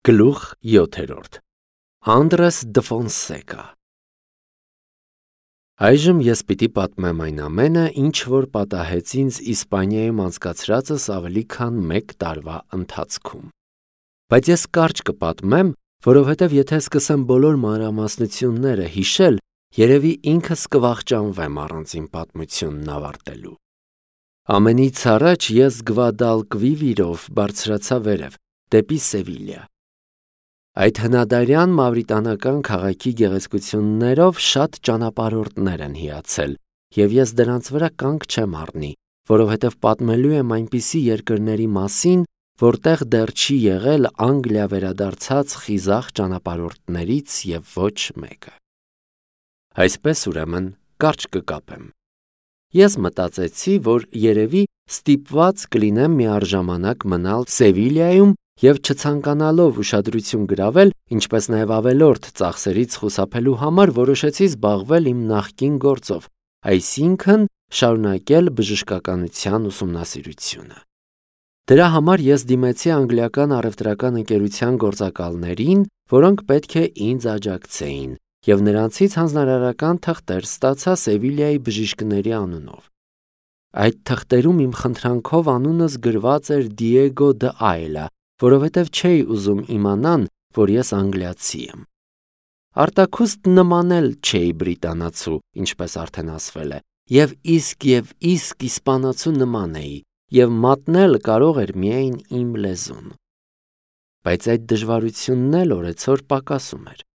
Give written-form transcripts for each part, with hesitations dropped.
Գլուխ 7. Անդրես դը Ֆոնսեկա։ Այժմ ես պիտի պատմեմ այն ամենը, ինչ որ պատահեց ինձ Իսպանիայում անցկացրածս ավելի քան 1 տարվա ընթացքում։ Բայց ես կարճ կպատմեմ, որովհետև եթե սկսեմ բոլոր մանրամասնությունները հիշել, երևի ինքս կվախճանվեմ առանց իմ պատմությունն ավարտելու։ Ամենից առաջ ես Գվադալկվիվիրով բարձրացա վերև, դեպի Սևիլիա։ Այդ հնադարյան մավրիտանական քաղաքի գեղեցկություններով շատ ճանապարհորդներ են հիացել, և ես դրանց վրա կանգ չեմ առնի, որովհետև պատմելու եմ այնպիսի երկրների մասին, որտեղ դեռ չի եղել Անգլիա վերադարձած խիզախ ճանապարհորդներից և ոչ մեկը։ Այսպես ուրեմն կարճ կկապեմ։ Ես մտածեցի, որ երևի ստիպված կլինեմ միառժամանակ մնալ Սևիլիայում և չցանկանալով ուշադրություն գրավել, ինչպես նաև ավելորդ ծախսերից խուսափելու համար որոշեցի զբաղվել իմ նախկին գործով, այսինքն շարունակել բժշկականության ուսումնասիրությունը։ Դրա համար ես դիմեցի անգլիական առևտրական ընկերության գործակալներին, որոնք պետք է ինձ աջակցեին, և նրանցից հանձնարարական թղթեր ստացա Սևիլիայի բժիշկների անունով։ Այդ թղթերում իմ խնդրանքով անունս գրված էր Դիեգո դը Այլա, որովհետև չէի ուզում իմանան, որ ես անգլիացի եմ։ Արտաքուստ նմանել չէի բրիտանացու, ինչպես արդեն ասվել է, և իսկ իսպանացու նման էի, և մատնել կարող էր միայն իմ լեզուն։ Բայց այդ դժվարությունն էլ օրեցօր պակասում էր։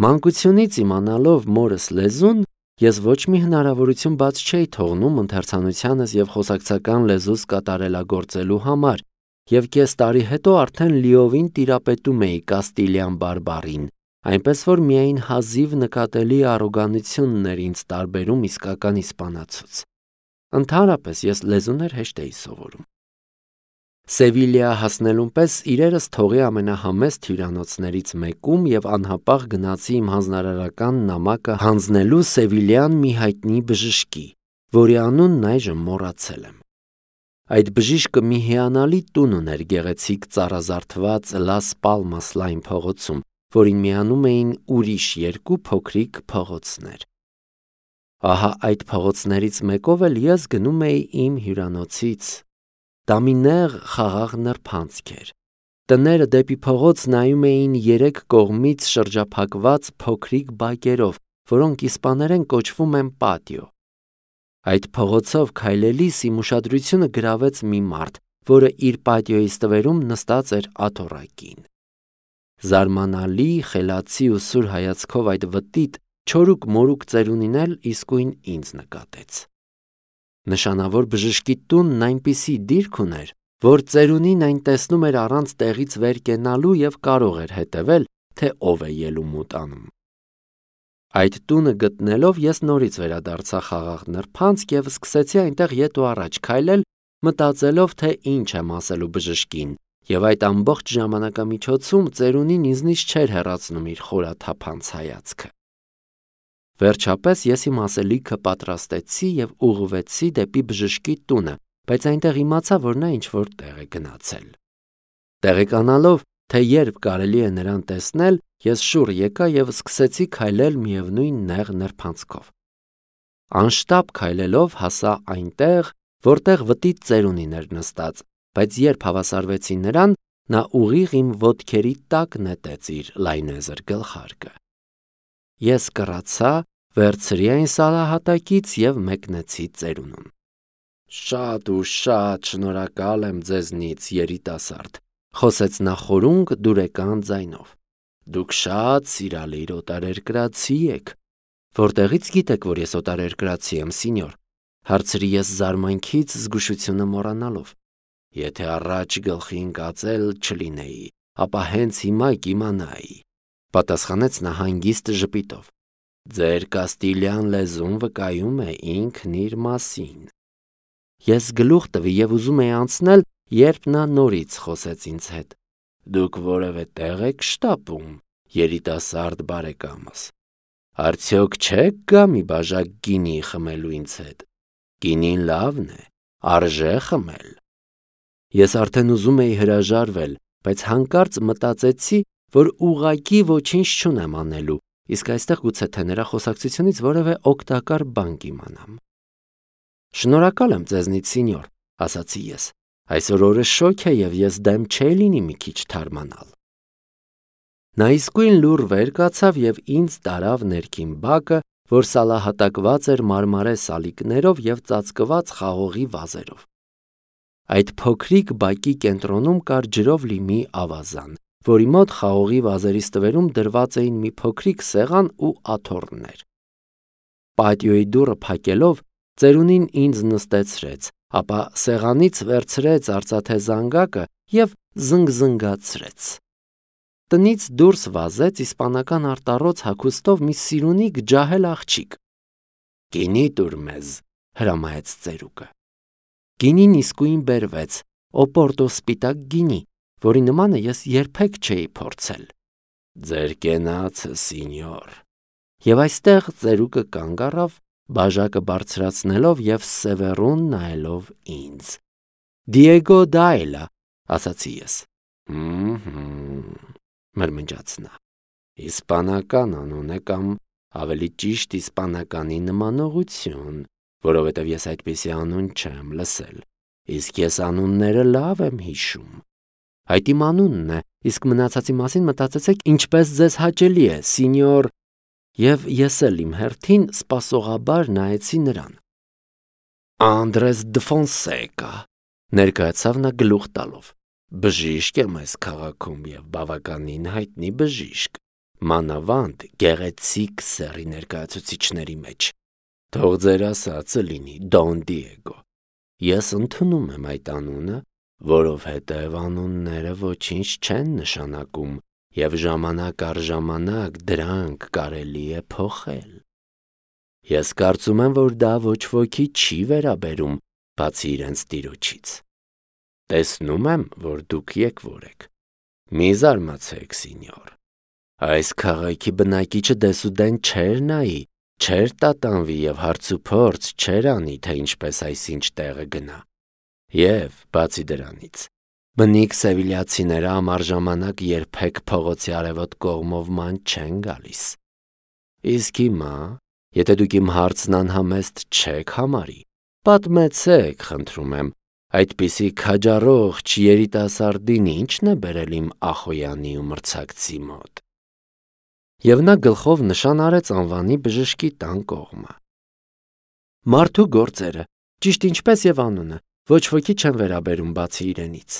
Մանկությունից իմանալով մորս լեզուն, ես ոչ մի հնարավորություն բաց չէի թողնում ընթերցանությանս և խոսակցական լեզուս կատարելագործելու համար, և կես տարի հետո արդեն լիովին տիրապետում էի կաստիլյան բարբառին, այնպես որ միայն հազիվ նկատելի առոգանությունն էր ինձ տարբերում իսկական իսպանացուց։ Ընդհանրապես ես լեզուներ հեշտ էի սովորում։ Սևիլիա հասնելուն պես իրերս թողի ամենահամեստ հյուրանոցներից մեկում և անհապաղ գնացի իմ հանձնարարական նամակը հանձնելու սևիլյան մի հայտնի բժշկի, որի անունն այժմ մոռացել եմ։ Այդ բժիշկը մի հիանալի տուն ուներ գեղեցիկ ծառազարդված Լաս Պալմաս լայն փողոցում, որին միանում էին ուրիշ 2 փոքրիկ փողոցներ։ Ահա այդ փողոցներից մեկով էլ ես գնում էի իմ հյուրանոցից։ Դա մի նեղ խաղաղ նրբանցք էր։ Տները դեպի փողոց նայում էին 3 կողմից շրջափակված փոքրիկ բակերով, որոնք իսպաներեն կոչվում են պատիո։ Այդ փողոցով քայլելիս իմ ուշադրությունը գրավեց մի մարդ, որը իր պատիոյի ստվերում նստած էր աթոռակին։ Զարմանալի, խելացի ու սուր հայացքով այդ վտիտ, չորուկ-մորուկ ծերունին էլ իսկույն ինձ նկատեց։ Նշանավոր բժշկի տունն այնպիսի դիրք ուներ, որ ծերունին այն տեսնում էր առանց տեղից վեր կենալու և կարող էր հետևել, թե ով է ելումուտ անում։ Այդ տունը գտնելով ես նորից վերադարձա խաղաղ նրբանցք և սկսեցի այնտեղ ետ ու առաջ քայլել, մտածելով, թե ինչ եմ ասելու բժշկին, և այդ ամբողջ ժամանակամիջոցում ծերունին ինձնից չէր հեռացնում իր խորաթափանց հայացքը։ Վերջապես ես իմ ասելիքը պատրաստեցի և ուղղվեցի դեպի բժշկի տունը, բայց այնտեղ իմացա, որ նա ինչ-որ տեղ է գնացել։ Տեղեկանալով, թե երբ կարելի է նրան տեսնել, ես շուռ եկա և սկսեցի քայլել միևնույն նեղ նրբանցքով։ Անշտապ քայլելով հասա այնտեղ, որտեղ վտիտ ծերունին էր նստած, բայց երբ հավասարվեցի նրան, նա ուղիղ իմ ոտքերի տակ նետեց իր լայնեզր գլխարկը։ Ես կռացա, վերցրի այն սալահատակից և մեկնեցի ծերունուն։ Շատ ու շատ շնորհակալ եմ ձեզնից, երիտասարդ, խոսեց նա խորունկ դուրեկան ձայնով։ Դուք շատ սիրալիր օտարերկրացի եք։ Որտեղից գիտեք, որ ես օտարերկրացի եմ, սինյոր, հարցրի ես զարմանքից զգուշությունը մոռանալով։ Եթե առաջ գլխի ընկածել չլինեի, ապա հենց հիմա կիմանայի, պատասխանեց նա հանգիստ ժպիտով։ Ձեր կաստիլյան լեզուն վկայում է ինքն իր մասին։ Ես գլուխ տվի և ուզում էի անցնել, երբ նա նորից խոսեց ինձ հետ։ Դուք որևէ տեղ եք շտապում, երիտասարդ բարեկամս։ Արդյոք չեք գա մի բաժակ գինի խմելու ինձ հետ։ Գինին լավն է, արժե խմել։ Ես արդեն ուզում էի հրաժարվել, բայց հանկարծ մտածեցի, որ ուղղակի ոչինչ չունեմ անելու, իսկ այստեղ գուցե թե նրա խոսակցությունից որևէ օգտակար բան կիմանամ։ Շնորհակալ եմ ձեզնից, սինյոր, ասացի ես։ Այսօր օրը շոգ է և ես դեմ չէի լինի մի քիչ թարմանալ։ Նա իսկույն լուռ վեր կացավ և ինձ տարավ ներքին բակը, որ սալահատակված էր մարմարե սալիկներով և ծածկված խաղողի վազերով։ Այդ փոքրիկ բակի կենտրոնում կար ջրով լի մի ավազան, որի մոտ խաղողի վազերի ստվերում դրված էին մի փոքրիկ սեղան ու աթոռներ։ Պատիոյի դուռը փակելով, ծերունին ինձ նստեցրեց, ապա սեղանից վերցրեց արծաթե զանգակը և զնգզնգացրեց։ Տնից դուրս վազեց իսպանական արտառոց հագուստով մի սիրունիկ ջահել աղջիկ։ «Գինի տուր մեզ», հրամայեց ծերուկը։ Գինին իսկույն բերվեց, օպորտո սպիտակ գինի, որի նմանը ես երբեք չէի փորձել։ «Ձեր կենացը, սինյոր»։ Եվ այստեղ ծերուկը կանգ առավ, բաժակը բարձրացնելով և սևեռուն նայելով ինձ։ «Դիեգո Դայլա», ասացի ես։ Մրմնջաց նա։ Իսպանական անուն է կամ ավելի ճիշտ իսպանականի նմանողություն, որովհետև ես այդպիսի անուն չեմ լսել, իսկ ես անունները լավ եմ հիշում։ Այդ իմ անունն է, իսկ մնացածի մասին մտածեցեք ինչպես ձեզ հաճելի է, սինյոր, և ես էլ իմ հերթին սպասողաբար նայեցի նրան։ Անդրես դը Ֆոնսեկա, ներկայացավ նա գլուխ տալով։ Բժիշկ եմ այս քաղաքում և բավականին հայտնի բժիշկ, մանավանդ գեղեցիկ սեռի ներկայացուցիչների մեջ։ Թող ձեր ասածը լինի, Դոն Դիեգո։ Ես ընդունում եմ այդ անունը, որովհետև անունները ոչինչ չեն նշանակում և ժամանակ առ ժամանակ դրանք կարելի է փոխել։ Ես կարծում եմ, որ դա ոչ ոքի չի վերաբերում, բացի իրենց տիրոջից։ Տեսնում եմ, որ դուք եկվոր եք։ Մի զարմացեք, սինյոր։ Այս քաղաքի բնակիչը դեսուդեն չէր նայի, չէր տատանվի և հարցուփորձ չէր անի, թե ինչպես այսինչ տեղը գնա։ Եվ, բացի դրանից, բնիկ սևիլյացիները ամառ ժամանակ երբեք փողոցի արևոտ կողմով ման չեն գալիս։ Իսկ հիմա, եթե դուք իմ հարցն անհամեստ չեք համարի, պատմեցեք, խնդրում եմ, այդպիսի քաջառողջ երիտասարդին ինչն է բերել իմ Ախոյանի ու մրցակցի մոտ։ Եվ նա գլխով նշան արեց անվանի բժշկի տան կողմը։ Մարդու գործերը, ճիշտ ինչպես և անունը, ոչ ոքի չեն վերաբերում բացի իրենից։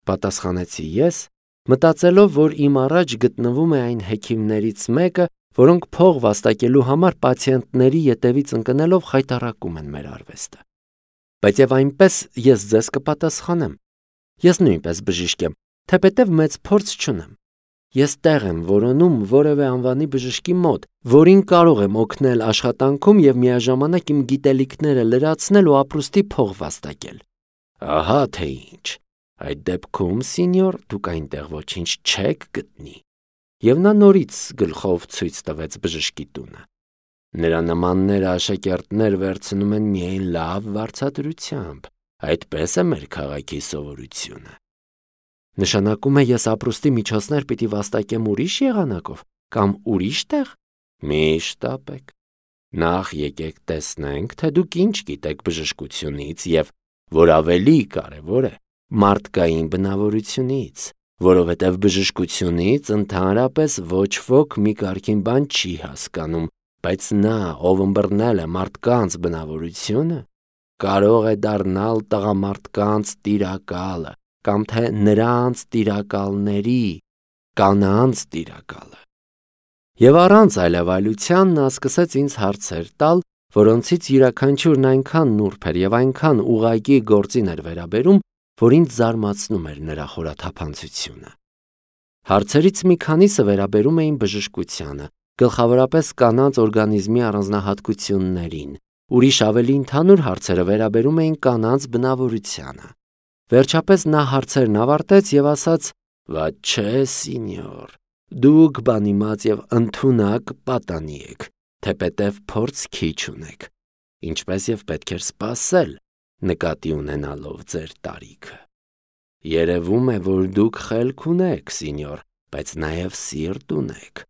Պատասխանեցի ես, մտածելով, որ իմ առաջ գտնվում է այն հեքիմներից մեկը, որոնք փող վաստակելու համար պացիենտների ետևից ընկնելով խայտառակում են մեր արվեստը։ Բայց և այնպես ես ձեզ կպատասխանեմ։ Ես նույնպես բժիշկ եմ, թեպետև մեծ փորձ չունեմ։ Ես տեղ եմ որոնում որևէ անվանի բժշկի մոտ, որին կարող եմ օգնել աշխատանքում և միաժամանակ իմ գիտելիքները լրացնել ու ապրուստի փող վաստակել։ Ահա թե ինչ։ Այդ դեպքում, սինյոր, դուք այնտեղ ոչինչ չեք գտնի։ Եվ նա նորից գլխով ցույց տվեց բժշկի տունը։ Նրա նմանները աշակերտներ վերցնում են միայն լավ վարձատրությամբ, այդպես է մեր քաղաքի սովորությունը։ Նշանակում է ես ապրուստի միջոցներ պիտի վաստակեմ ուրիշ եղանակով կամ ուրիշ տեղ։ Մի շտապեք։ Նախ եկեք տեսնենք, թե դուք ինչ գիտեք բժշկությունից և, որ ավելի կարևոր է, մարդկային բնավորությունից, որովհետև բժշկությունից ընդհանրապես ոչ ոք մի կարգին բան չի հասկանում, բայց նա, ով ըմբռնել է մարդկանց բնավորությունը, կարող է դառնալ տղամարդկանց տիրակալը կամ թե նրանց տիրակալների, կանանց տիրակալը։ Եվ առանց այլևայլության նա սկսեց ինձ հարցեր տալ, որոնցից յուրաքանչյուրն այնքան նուրբ էր և այնքան ուղղակի գործին էր վերաբերում, որ ինձ զարմացնում էր նրա խորաթափանցությունը։ Հարցերից մի քանիսը վերաբերում էին բժշկությանը, գլխավորապես կանանց օրգանիզմի առանձնահատկություններին, ուրիշ ավելի ընդհանուր հարցերը վերաբերում էին կանանց բնավորությանը։ Վերջապես նա հարցերն ավարտեց և ասաց. «Վատ չէ, սինյոր, դուք բանիմաց և ընդունակ պատանի եք, թեպետև փորձ քիչ ունեք, ինչպես և պետք էր սպասել, նկատի ունենալով ձեր տարիքը։ Երևում է, որ դուք խելք ունեք, սինյոր, բայց նաև սիրտ ունեք,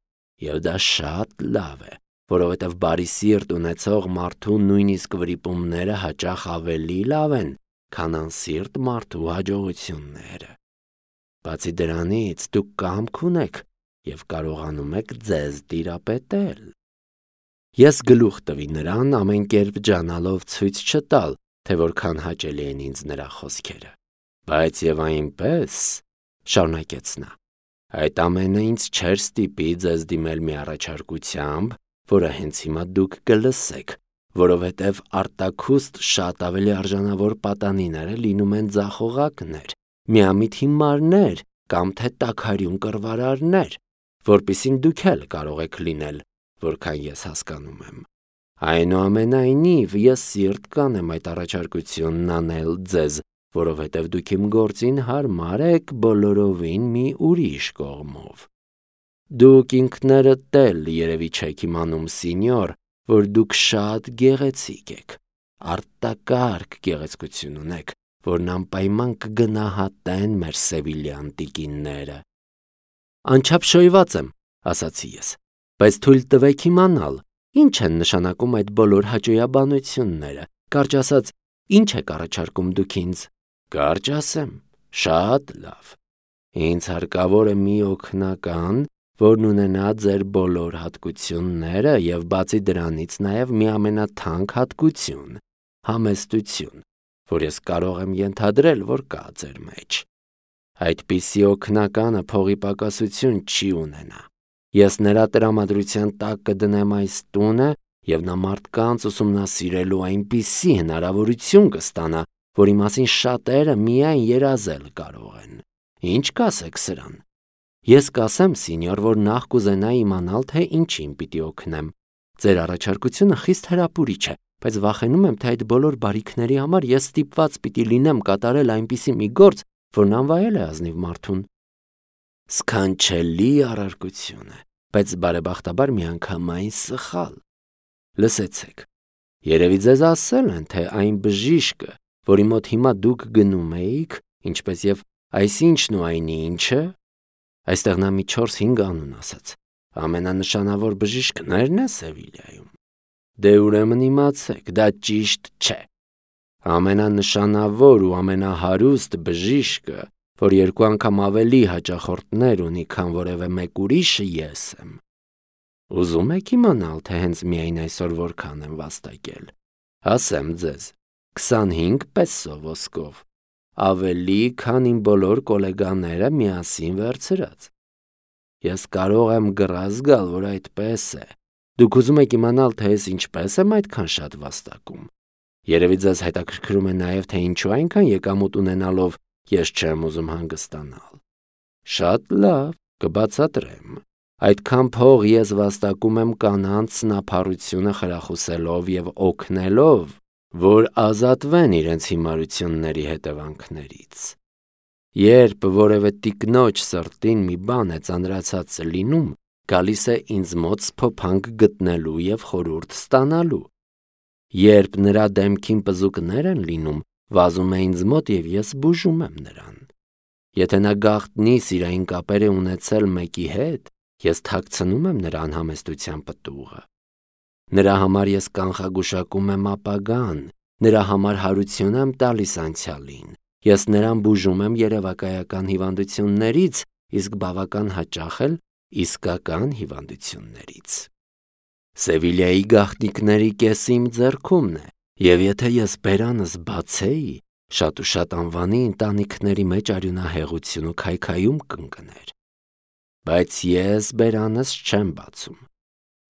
և դա շատ լավ է, որովհետև բարի սիրտ ունեցող մարդու նույնիսկ վրիպումները հաճախ ավելի լավ են, քան անսիրտ մարդու հաջողությունները։ Բացի դրանից, դուք կամք ունեք և կարողանում եք ձեզ տիրապետել։ Ես գլուխ տվի նրան, ամեն կերպ ջանալով ցույց չտալ, թե որքան հաճելի են ինձ նրա խոսքերը։ Բայց և այնպես, շարունակեց նա, այդ ամենը ինձ չէր ստիպի ձեզ դիմել մի առաջարկությամբ, որը հենց հիմա դուք կլսեք, որովհետև արտաքուստ շատ ավելի արժանավոր պատանիները լինում են ձախողակներ, միամիտ հիմարներ կամ թե տաքարյուն կռվարարներ, որպիսին դուք էլ կարող եք լինել, որքան ես հասկանում եմ։ Այնուամենայնիվ, ես սիրտ կանեմ այդ առաջարկությունն անել ձեզ, որովհետև դուք իմ գործին հարմար եք բոլորովին մի ուրիշ կողմով։ Դուք ինքներդ էլ երևի չեք իմանում, սինյոր, որ դուք շատ գեղեցիկ եք, արտակարգ գեղեցկություն ունեք, որն անպայման կգնահատեն մեր սևիլյան տիկինները։ Անչափ շոյված եմ, ասացի ես, բայց թույլ տվեք իմանալ, ինչ են նշանակում այդ բոլոր հաճոյաբանությունները, կարճ ասած, ինչ եք առաջարկում դուք ինձ։ Կարճ ասեմ, շատ լավ։ Ինձ հարկավոր է մի օգնական, որն ունենա ձեր բոլոր հատկությունները և բացի դրանից նաև մի ամենաթանկ հատկություն՝ համեստություն, որ ես կարող եմ ենթադրել, որ կա ձեր մեջ։ Այդպիսի օգնականը փողի պակասություն չի ունենա։ Ես նրա տրամադրության տակ կդնեմ այս տունը և նա մարդկանց ուսումնասիրելու այնպիսի հնարավորություն կստանա, որի մասին շատերը միայն երազել կարող են։ Ինչ կասեք սրան։ Ես կասեմ, սինյոր, որ նախ կուզենայի իմանալ, թե ինչին պիտի օգնեմ։ Ձեր առաջարկությունը խիստ հրապուրիչ է, բայց վախենում եմ, թե այդ բոլոր բարիքների համար ես ստիպված պիտի լինեմ կատարել այնպիսի մի գործ, որն անվայել է ազնիվ մարդուն։ Սքանչելի առարկություն է, բայց բարեբախտաբար միանգամայն սխալ։ Լսեցեք, երևի ձեզ ասել են, թե այն բժիշկը, որի մոտ հիմա դուք գնում էիք, ինչպես և այսինչն ու այն ինչը, այստեղ նա մի 4-5 անուն ասաց, ամենանշանավոր բժիշկներն է Սևիլիայում։ Դե ուրեմն իմացեք, դա ճիշտ չէ։ Ամենանշանավոր ու ամենահարուստ բժիշկը, որ 2 անգամ ավելի հաճախորդներ ունի, քան որևէ մեկ ուրիշը ես եմ։ Ուզում եք իմանալ, թե հենց միայն այսօր որքան եմ վաստակել։ Ասեմ ձեզ, 25 պեսո ոսկով, ավելի, քան իմ բոլոր կոլեգաները միասին վերցրած։ Ես կարող եմ գրազ գալ, որ այդպես է։ Դուք ուզում եք իմանալ, թե ես ինչպես եմ այդքան շատ վաստակում։ Երևի ձեզ հետաքրքրում է նաև, թե ինչու այնքան եկամուտ ունենալով ես չեմ ուզում հանգստանալ։ Շատ լավ, կբացատրեմ։ Այդքան փող ես վաստակում եմ կանանց սնափառությունը խրախուսելով և օգնելով, որ ազատվեն իրենց հիմարությունների հետևանքներից։ Երբ որևէ տիկնոջ սրտին մի բան է ծանրացած լինում, գալիս է ինձ մոտ սփոփանք գտնելու և խորհուրդ ստանալու։ Երբ նրա դեմքին պզուկներ են լինում, վազում է ինձ մոտ և ես բուժում եմ նրան։ Եթե նա գաղտնի սիրային կապեր է ունեցել մեկի հետ, ես թաքցնում եմ նրա անհամեստության պտուղը։ Նրա համար ես կանխագուշակում եմ ապագան, նրա համար հարություն եմ տալիս անցյալին, ես նրան բուժում եմ երևակայական հիվանդություններից, իսկ բավական հաճախ էլ իսկական հիվանդություններից։ Սևիլիայի գաղտնիքների կեսը իմ ձեռքումն է, և եթե ես բերանս բացեի, շատ ու շատ անվանի ընտանիքների մեջ արյունահեղություն ու քայքայում կընկներ։ Բայց ես բերանս չեմ բացում։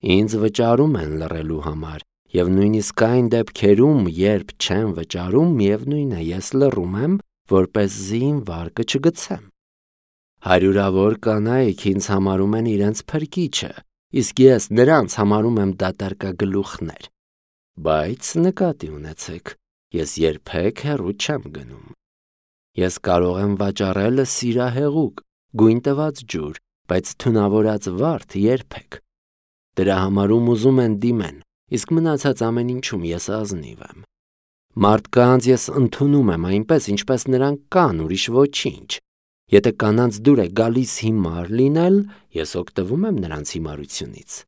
Ինձ վճարում են լռելու համար, և նույնիսկ այն դեպքերում, երբ չեմ վճարում, միևնույն է, ես լռում եմ, որպեսզի իմ վարկը չգցեմ։ Հարյուրավոր կանայք ինձ համարում են իրենց փրկիչը, իսկ ես նրանց համարում եմ դատարկագլուխներ։ Բայց նկատի ունեցեք, ես երբեք հեռու չեմ գնում։ Ես կարող եմ վաճառել սիրահեղուկ, գույն տված ջուր, բայց թունավորած վարդ երբեք։ Դրա համար ուզում են դիմեն, իսկ մնացած ամեն ինչում ես ազնիվ եմ։ Մարդկանց ես ընդունում եմ այնպես, ինչպես նրանք կան, ուրիշ ոչինչ։ Եթե կանանց դուր է գալիս հիմար լինել, ես օգտվում եմ նրանց հիմարությունից։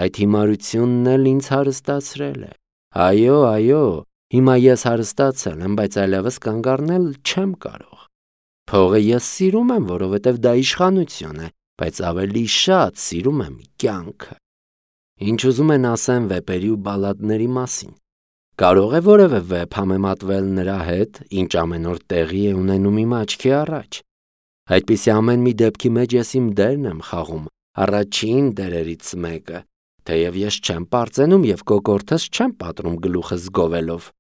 Այդ հիմարությունն էլ ինձ հարստացրել է։ Այո, հիմա ես հարստացել եմ, բայց այլևս կանգ առնել չեմ կարող։ Փողը ես սիրում եմ, որովհետև դա իշխանություն է, բայց ավելի շատ սիրում եմ կյանքը։ Ինչ ուզում են ասեն վեպերի ու բալադների մասին։ Կարող է որևէ վեպ համեմատվել նրա հետ, ինչ ամեն օր տեղի է ունենում իմ աչքի առաջ։ Այդպիսի ամեն մի դեպքի մեջ ես իմ դերն եմ խաղում, առաջին դերերից մեկը, թեև ես չեմ պարծենում և կոկորդս չեմ պատռում գլուխս գովելով։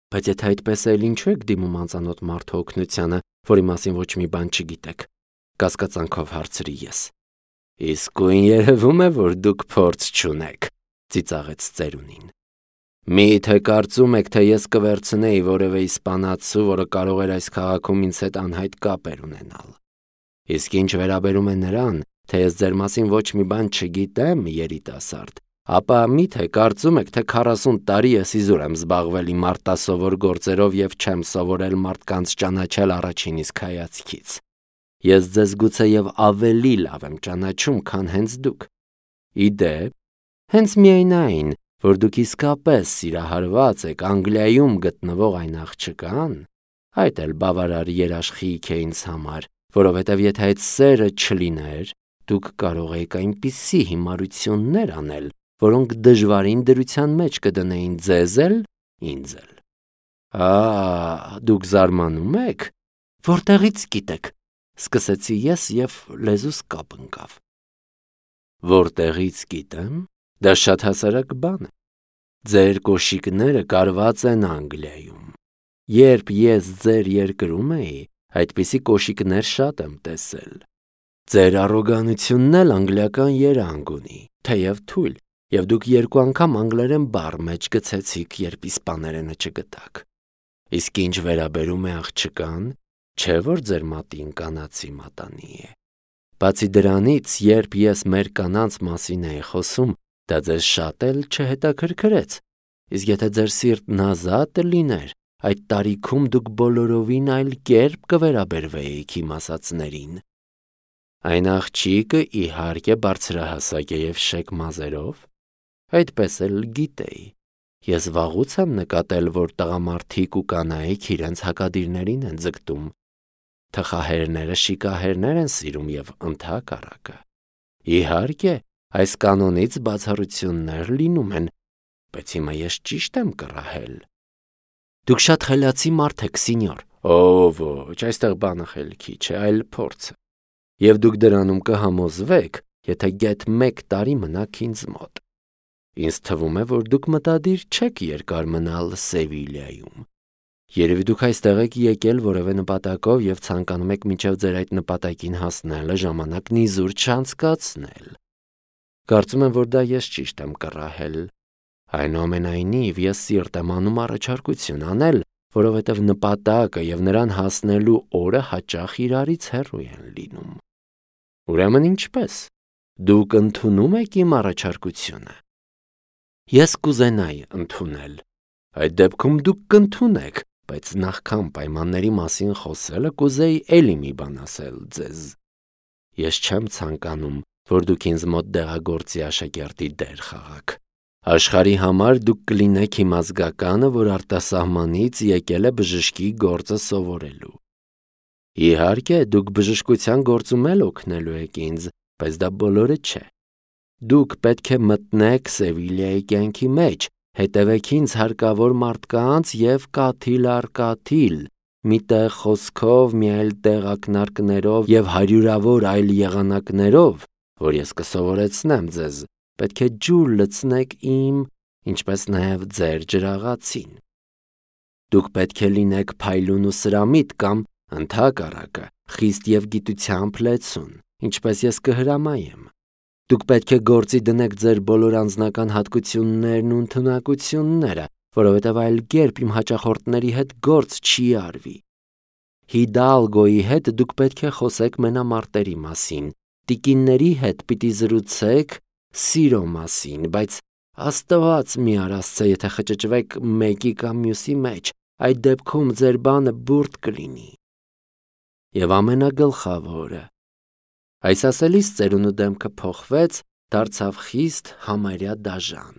Բայց եթե այդպես է, ինչու եք դիմում անծանոթ մարդու օգնությանը, որի մասին ոչ մի բան չգիտեք, կասկածանքով հարցրի ես։ Իսկույն երևում է, որ դուք փորձ չունեք, ծիծաղեց ծերունին։ Մի՞թե կարծում եք, թե ես կվերցնեի որևէ իսպանացու, որը կարող էր այս քաղաքում ինձ հետ անհայտ կապեր ունենալ։ Իսկ ինչ վերաբերում է նրան, թե ես ձեր մասին ոչ մի բան չգիտեմ, երիտասարդ, ապա մի՞թե կարծում եք, թե 40 տարի ես իզուր եմ զբաղվել իմ արտասովոր գործերով և չեմ սովորել մարդկանց ճանաչել առաջին իսկ հայացքից։ Ես ձեզ գուցեև ավելի լավ եմ ճանաչում, քան հենց դուք։ Ի դեպ, հենց միայն այն, որ դուք իսկապես սիրահարված եք Անգլիայում գտնվող այն աղջկան, այդ էլ բավարար երաշխիք է ինձ համար, որովհետև եթե այդ սերը չլիներ, դուք կարող եք այնպիսի հիմարություններ անել, որոնք դժվարին դրության մեջ կդնեին ձեզ էլ, ինձ էլ։ Դուք զարմանում եք։ Որտեղից գիտեք, սկսեցի ես և լեզուս կապ ընկավ։ Որտեղից գիտեմ, դա շատ հասարակ բան է։ Ձեր կոշիկները կարված են Անգլիայում։ Երբ ես ձեր երկրում էի, այդպիսի կոշիկներ շատ եմ տեսել։ Ձեր առոգանությունն էլ անգլիական երանգ ունի, թեև թույլ, և դուք 2 անգամ անգլերեն բառ մեջ գցեցիք, երբ իսպաներենը չգտաք։ Իսկ ինչ վերաբերում է աղջկան, չէ՞ որ ձեր մատին կանացի մատանի է։ Բացի դրանից, երբ ես մեր կանանց մասին էի խոսում, դա ձեզ շատ էլ չհետաքրքրեց, իսկ եթե ձեր սիրտն ազատ լիներ, այդ տարիքում դուք բոլորովին այլ կերպ կվերաբերվեիք իմ ասածներին։ Այն աղջիկը իհարկե բարձրահասակ է և շեկ մազերով, այդպես էլ գիտեի։ Ես վաղուց եմ նկատել, որ տղամարդիկ ու կանայք իրենց հակադիրներին են ձգտում։ Թխահերները շիկահերներ են սիրում և ընդհակառակը։ Իհարկե, այս կանոնից բացառություններ լինում են, բայց հիմա ես ճիշտ եմ կռահել։ Դուք շատ խելացի մարդ եք, սինյոր։ Ոչ, այստեղ բանը խելքի չէ, այլ փորձը։ Եվ դուք դրանում կհամոզվեք, եթե գեթ 1 տարի մնաք ինձ մոտ։ Ինձ թվում է, որ դուք մտադիր չեք երկար մնալ Սևիլիայում։ Երևի դուք այստեղ եք եկել որևէ նպատակով և ցանկանում եք մինչև ձեր այդ նպատակին հասնելը ժամանակն իզուր չանցկացնել։ Կարծում եմ, որ դա ես ճիշտ եմ կռահել։ Այնուամենայնիվ, ես սիրտ եմ անում առաջարկություն անել, որովհետև նպատակը և նրան հասնելու օրը հաճախ իրարից հեռու են լինում։ Ուրեմն ինչպե՞ս։ Դուք ընդունում եք իմ առաջարկությունը։ Ես կուզենայի ընդունել։ Այդ դեպքում դուք կընդունեք, բայց նախքան պայմանների մասին խոսելը կուզեի էլի մի բան ասել ձեզ։ Ես չեմ ցանկանում, որ դուք ինձ մոտ դեղագործի աշակերտի դեր խաղաք։ Աշխարհի համար դուք կլինեք իմ ազգականը, որ արտասահմանից եկել է բժշկի գործը սովորելու։ Իհարկե, դուք բժշկության գործում էլ օգնելու եք ինձ, բայց դա բոլորը չէ։ Դուք պետք է մտնեք Սևիլիայի կյանքի մեջ, հետևեք ինձ հարկավոր մարդկանց և կաթիլ առ կաթիլ, մի տեղ խոսքով, մի այլ տեղ ակնարկներով և հարյուրավոր այլ եղանակներով, որ ես կսովորեցնեմ ձեզ, պետք է ջուր լցնեք իմ, ինչպես նաև ձեր ջրաղացին։ Դուք պետք է լինեք փայլուն ու սրամիտ կամ, ընդհակառակը, խիստ և գիտությամբ լեցուն, ինչպես ես կհրամայեմ։ Դուք պետք է գործի դնեք ձեր բոլոր անձնական հատկություններն ու ընդունակությունները, որովհետև այլ կերպ իմ հաճախորդների հետ գործ չի արվի։ Հիդալգոյի հետ դուք պետք է խոսեք մենամարտերի մասին, տիկինների հետ պիտի զրուցեք սիրո մասին, բայց Աստված մի արասցե, եթե խճճվեք մեկի կամ մյուսի մեջ, այդ դեպքում ձեր բանը բուրդ կլինի։ Եվ ամենագլխավորը, այս ասելիս ծերունու դեմքը փոխվեց, դարձավ խիստ համարյա դաժան,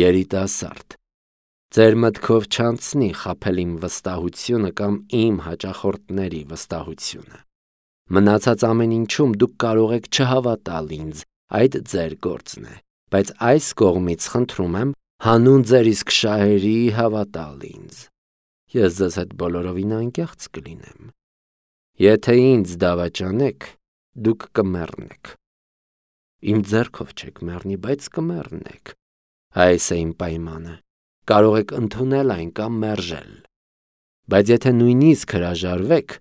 երիտասարդ։ Ձեր մտքով չանցնի խաբել իմ վստահությունը կամ իմ հաճախորդների վստահությունը։ Մնացած ամեն ինչում դուք կարող եք չհավատալ ինձ, այդ ձեր գործն է, բայց այս կողմից խնդրում եմ հանուն ձեր իսկ շահերի հավատալ ինձ։ Ես ձեզ հետ բոլորովին անկեղծ կլինեմ։ Եթե ինձ դավաճանեք, դուք կմեռնեք։ Իմ ձեռքով չեք մեռնի, բայց կմեռնեք։ Այս է իմ պայմանը։ Կարող եք ընդունել այն կամ մերժել։ Բայց եթե նույնիսկ հրաժարվեք,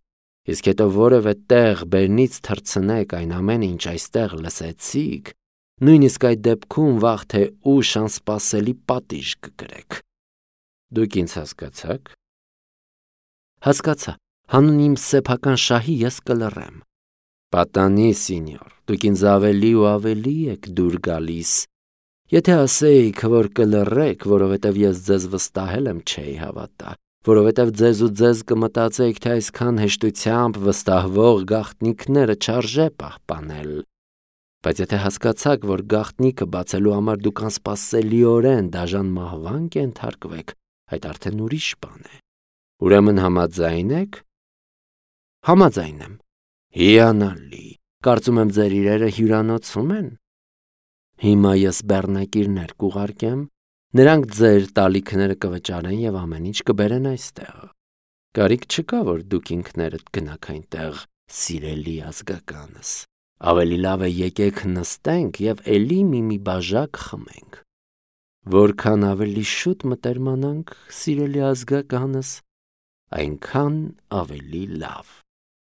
իսկ հետո որևէ տեղ բերնից թռցնեք այն ամենը, ինչ այստեղ լսեցիք, նույնիսկ այդ դեպքում վաղ թե ուշ անսպասելի պատիժ կկրեք։ Դուք ինձ հասկացա՞ք։ Հասկացա, հանուն իմ սեփական շահի ես կլռեմ։ Պատանի, սինյոր, դուք ինձ ավելի ու ավելի եք դուր գալիս։ Եթե ասեիք, որ կլռեք, որովհետև ես ձեզ վստահել եմ, չէի հավատա, որովհետև ձեզ ու ձեզ կմտածեիք, թե այսքան հեշտությամբ վստահվող գաղտնիքները չարժե պահպանել։ Բայց եթե հասկացաք, որ գաղտնիքը բացելու համար դուք անսպասելիորեն դաժան մահվան կենթարկվեք, այդ արդեն ուրիշ բան է։ Ուրեմն համաձայն եք։ Համաձայն եմ։ Հիանալի։ Կարծում եմ ձեր իրերը հյուրանոցում են։ Հիմա ես բեռնակիրներ կուղարկեմ, նրանք ձեր տալիքները կվճարեն և ամեն ինչ կբերեն այստեղ։ Կարիք չկա, որ դուք ինքներդ գնաք այնտեղ, սիրելի ազգականս։ Ավելի լավ է եկեք նստենք և էլի մի բաժակ խմենք։ Որքան ավելի շուտ մտերմանանք, սիրելի ազգականս, այնքան ավելի լավ։